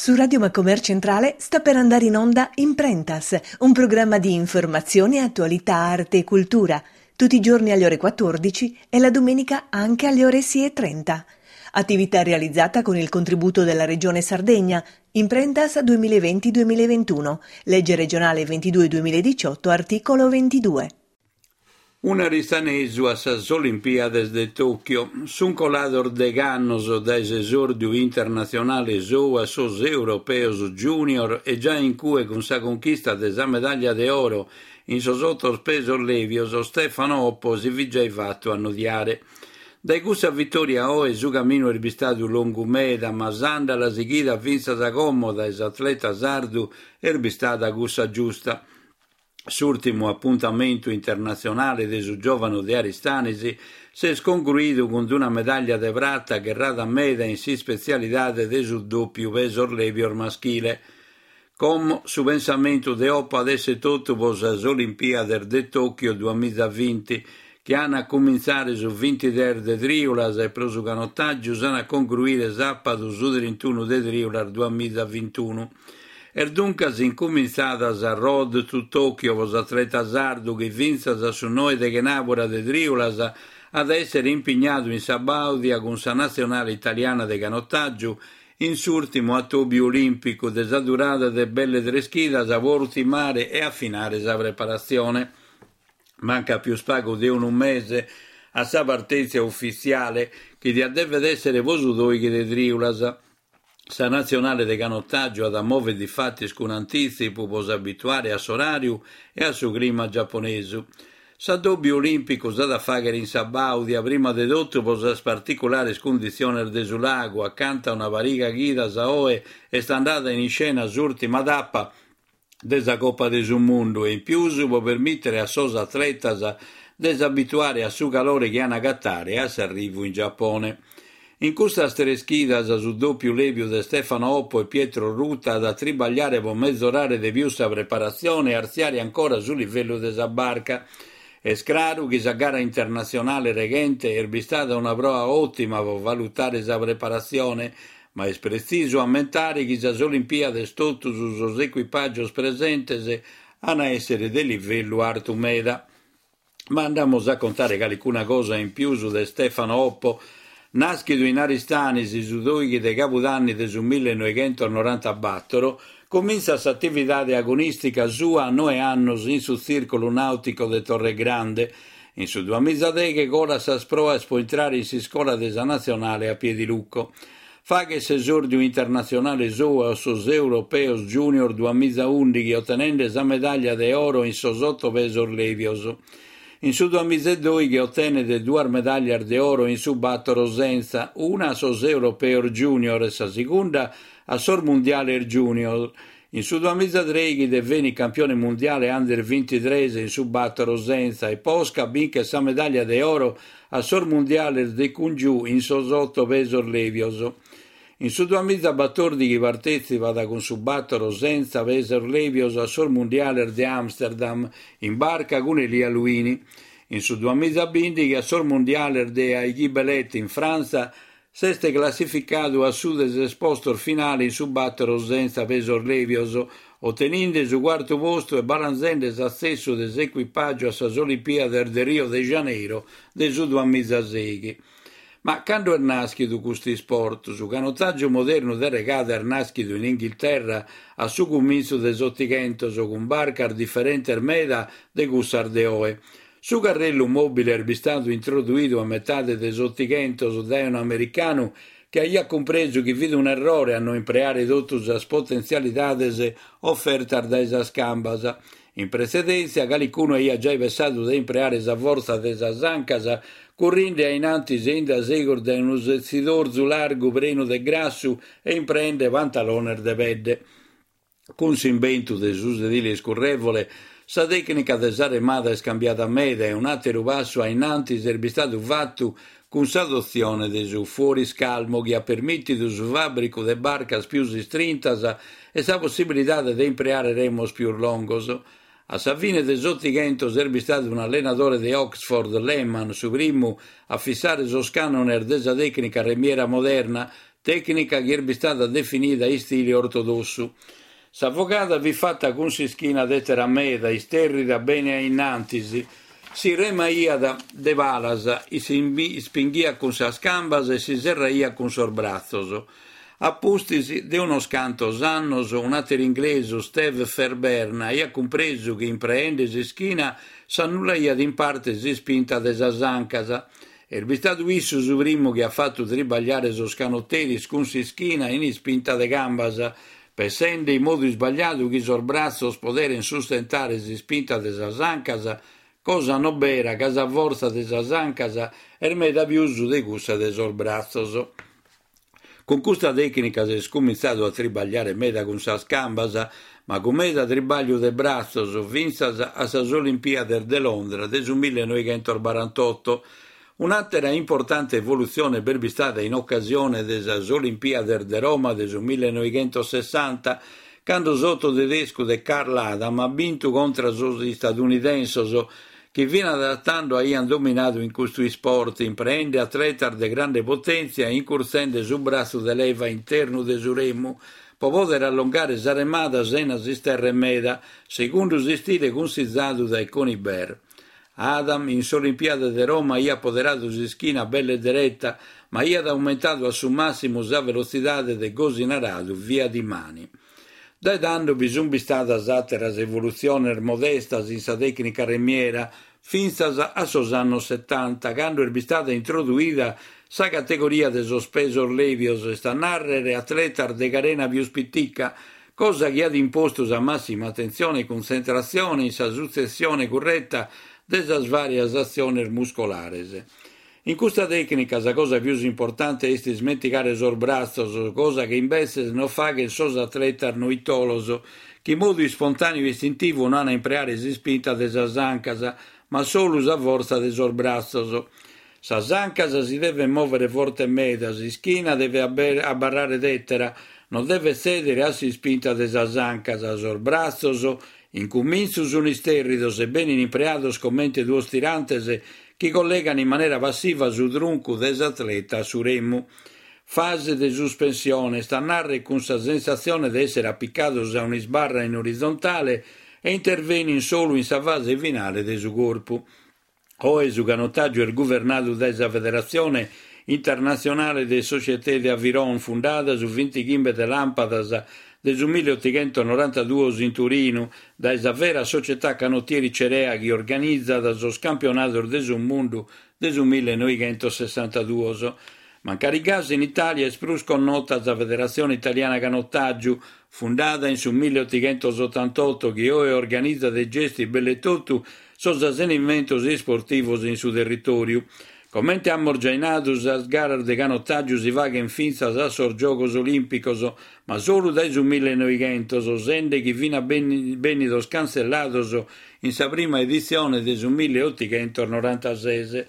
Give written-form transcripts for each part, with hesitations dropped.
Su Radio Macomer Centrale sta per andare in onda Imprentas, un programma di informazione, attualità, arte e cultura, tutti i giorni alle ore 14 e la domenica anche alle ore 6.30. Attività realizzata con il contributo della Regione Sardegna, Imprentas 2020-2021, legge regionale 22-2018, articolo 22. Un'aristanesu a sas Olimpiades de Tokyo. Sunt colados degh'annos dae s'esòrdiu internatzionale sou a sos Europeos Junior e giai in cue cun sa conchista de sa medàllia de oro in sos otos pesos lèbios Stefano Oppo si fit giai fatu annodiare. Dae cussa vitòria a oe su caminu est bistadu longu meda ma s'àndala sighida fintzas a como dae s'atleta sardu est bistada cussa giusta. S'ùrtimu apuntamentu internatzionale de su giòvanu de Aristanis s'est congruidu cun una medàllia de prata gherrada meda in s'ispetzialidade de su dòpiu pesos lèbios maschile. Como su pensamentu de Oppo at èssere totu pro sas Olimpìades de Tòchio duamizavinti, chi an a cumintzare su vintitres de trìulas e pro su canotàgiu s'an a congruire sàpadu su trintunu de trìulas duamizavintunu. Est duncas incumintzada sa Road to Tokyo pro s'atleta sardu chi fintzas a su noe de chenàbura de trìulas at a èssere impignadu in Sabàudia cun sa natzionale italiana de canotàgiu in s'ùrtimu atòbiu olìmpicu de sa durada de belle tres chidas pro urtimare e afinare sa preparatzione. Mancat pius pagu de unu mese a sa partèntzia ufitziale chi diat devet èssere pro su dòighi de trìulas. Sa natzionale de canotàgiu at a mòvere difatis cun antìtzipu pro s'abituare a s'oràriu e a su clima giaponesu. S'addòbiu olìmpicu s'at a fàghere in Sabàudia, prima de totu pro sas particulares cunditziones de su lagu, acanta una pariga chidas a oe est andada in iscena s'ùrtima tapa de sa Copa de su Mundu e in pius pro permìtere a sos atletas de s'abituare a su calore chi an a agatare a s'arrivu in Giapone. In custas tres chidas su dòpiu lèbiu de Stefano Oppo e Pietro Ruta at a tribagliare pro mezorare de pius sa preparatzione e artziare ancora su livellu de sa barca. Est craru chi sa gara internatzionale reghente est bistada una proa òtima pro valutare sa preparatzione, Ma est pretzisu ammentare chi sas Olimpiades totus sos ecuipàgios presentes an a èssere de livellu artu meda. Ma andamus a contare calicuna cosa in pius de Stefano Oppo, nàschidu in Aristanis su dòighi de cabudanni de su millenoighentos-norantabatoro, comintzat s'atividade agonìstica sua a noe annos in su Tzìrculu Nàutico de Torregrande. In su duamizadeghe colat sas proas pro intrare in s'iscola de sa Natzionale a Piediluco. Faghet s'esòrdiu internatzionale sou a sos Europeos Junior duamizaùndighi otenende sa medàllia de oro in sos oto pesos lèbios. In su duamizedòighi otenet duas medàllias de oro in su bàtoro sentza, una a sos Europeos Junior e sa segunda a sos Mundiales Junior. In su duamizadrèighi devenit campione mundiale under bintitres in su bàtoro sentza e posca binchet sa medàllia de oro a sos mundiales de Cungiu in sos oto pesos lèbios. In su duamizabatòrdighi partètzipat cun su bàtoro sentza pesos lèbios a sos mundiales de Amsterdam in barca cun Elia Luini. In su duamizabìndighi a sos mundiales de Aiguebelette in Frantza S'est classificadu a su de ses postos finale in su bàtoro sentza pesos lèbios, oteninde su cuartu postu e balanzende s'atzessu de s'ecuipàgiu a sas Olimpiades de Rio de Janeiro de su duamizasèighi. Ma cando est nàschidu custu isport? Su canotàgiu modernu de regada est nàschidu in Inghilterra a su cumintzu de s'Otighentos, cun barcas diferentes meda de cussas de oe. Su carrellu mòbile est bistadu introduidu a metade de s'Otighentos dae un'americanu chi aiat cumpresu chi fit un'errore a no impreare totu sas potentzialidades ofertas dae sas cambas. In pretzedèntzia, calicunu aiat giai pessadu de impreare sa fortza de sas ancas currinde a in antis e in dae segus dae unu setzidorzu largu prenu de grassu e impreende pantalones de pedde. Cun s'imbentu de su sedile iscurrèvole, sa tècnica de sa remada est cambiada meda e un'àteru passu a in antis est bistadu fatu cun s'adotzione de su fuoriscalmo chi at permìtidu su fàbricu de barcas pius istrintas e sa possibilidade de impreare remos pius longos. A sa fine de s'Otighentos est bistadu un'allenadore de Oxford, Lehmann, su primu a fissare sos cànones de sa tècnica remiera moderna. Tècnica chi est bistada definida istile ortodossu. Sa fogada fit fata cun s'ischina tètera meda, istèrrida bene a innantis, si remaiat de palas, si ispinghiat cun sas cambas e si serraiat cun sos bratzos. A pustis de unos cantos annos, un'àteru inglesu, Steve Fairbairn, aiat cumpresu chi impreende s'ischina s'annullaiat in parte s'ispinta de sas ancas. Est bistadu issu su primu chi at fatu tribagliare sos canoteris cun s'ischina in ispinta de cambas, pessende in modu isbagliadu chi sos bratzos poderen sustentare s'ispinta de sas ancas, cosa no bera ca sa fortza de sas ancas est meda pius de cussa de sos bratzos. Cun custa tècnica s'est cumintzadu a tribagliare meda cun sas cambas, ma cun meda tribagliu de bratzos, fintzas a sas Olimpiades de Londra de su millenoighentosbarantotto. Un'àtera importante evolutzione b'est bistada in ocasione de sas Olimpiades de Roma de su millenoighentosessanta, cando s'oto tedescu de Karl Adam at bintu contra sos istadunidensos, chi finas a tando aiant dominadu in custu isport, impreende atletas de grande potèntzia e incurtzende su bratzu de leva internu de su remu, pro pòdere allongare sa remada sena s'isterrer meda, segundu s'istile cunsizadu dae Conybeare. Adam in s'Olimpiade de Roma aiat poderadu s'ischina belle dereta, ma aiat aumentadu a su màssimu sa velotzidade de gosi naradu via di mani. Dae tando bi sunt bistadas àteras evolutziones modestas in sa tècnica remiera, fintzas a sos annos setanta, cando est bistada introduida sa categoria de sos pesos lèbios, est a nàrrere atletas de carena pius pitica, cosa chi at impostu sa màssima atentzione e cuntzentratzione in sa sutzessione curreta de sas vàrias atziones muscolares. In custa tècnica sa cosa pius importante est ismentigare sos bratzos, cosa chi imbetzes no faghent sos atletas noitolos, chi in modu ispontàneu e istintivu no an a impreare s'ispinta de sas ancas, ma solu sa fortza de sos bratzos. Sas ancas si devent mòvere forte meda, s'ischina devet abarrare tètera, non devet tzèdere a s'ispinta de sas ancas, sos bratzos in cumintzu sunt istèrridos e benint impreados comente duos tirantes chi collegan in manera passiva su truncu de s'atleta a su remu. Fase de suspensione, est a nàrrere cun sa sensatzione de èssere apicados a un'isbarra in orizontale e intervenin solu in sa fase finale de su corpu. Oe su canotàgiu est guvernadu dae sa Federatzione Internatzionale de Société d'Aviron, fundada su bintighimbe de làmpadas de su milliotighentonorantaduos in Turinu, dae sa Vera Società Canottieri Cerea chi organizat sos campionados de su mundu de su millenoighentosessantaduos. Mancari gasi in Itàlia est prus connota sa Federatzione Italiana Canotàgiu, fundada in su milliotighentosotantoto chi oe organizat e gestit belle totu sos avenimentos isportivos in su territòriu. Comente amus giai nadu, sas garas de canotàgiu si faghent fintzas a sos Giogos Olìmpicos, ma solu dae su millenoighentos, sende chi fin bènnidos cantzellados in sa prima editzione de su milliotighentos-norantases.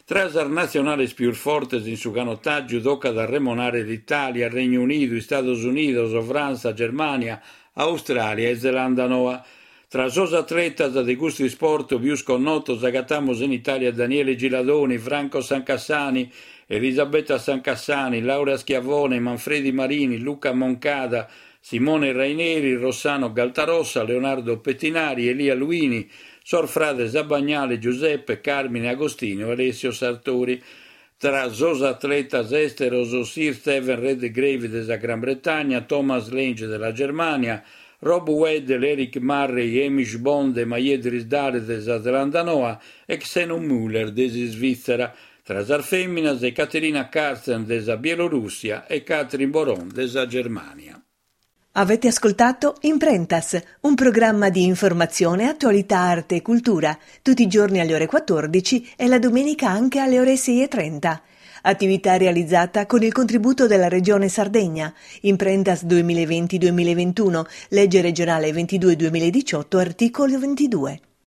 Tra sas natzionales pius fortes in su canotàgiu tocat a remonare l'Itàlia, Regnu Unidu, Istados Unidos, Frantza, Germània, Austràlia e Zelanda Noa. Tra sos atletas de custu isport pius connotos agatamus in Itàlia Daniele Giladoni, Franco Sancassani, Elisabetta Sancassani, Laura Schiavone, Manfredi Marini, Luca Moncada, Simone Raineri, Rossano Galtarossa, Leonardo Pettinari, Elia Luini, sos frades Abagnale, Giuseppe, Carmine Agostino e Alessio Sartori. Tra sos atletas èsteros Sir Steven Redgrave de sa Gran Bretagna, Thomas Lange de la Germània, Rob Weddell, Eric Murray, Hamish Bond e Maie Drysdale de sa Zelanda Noa e Xeno Müller de s'Isvìtzera. Tra sas fèminas Ekaterina Kartsen de sa Bielorùssia e Katrin Boron de sa Germània. Avete ascoltato Imprentas, un programma di informazione, attualità, arte e cultura, tutti i giorni alle ore 14 e la domenica anche alle ore 6.30. Attività realizzata con il contributo della Regione Sardegna. Imprentas 2020-2021, legge regionale 22-2018, articolo 22.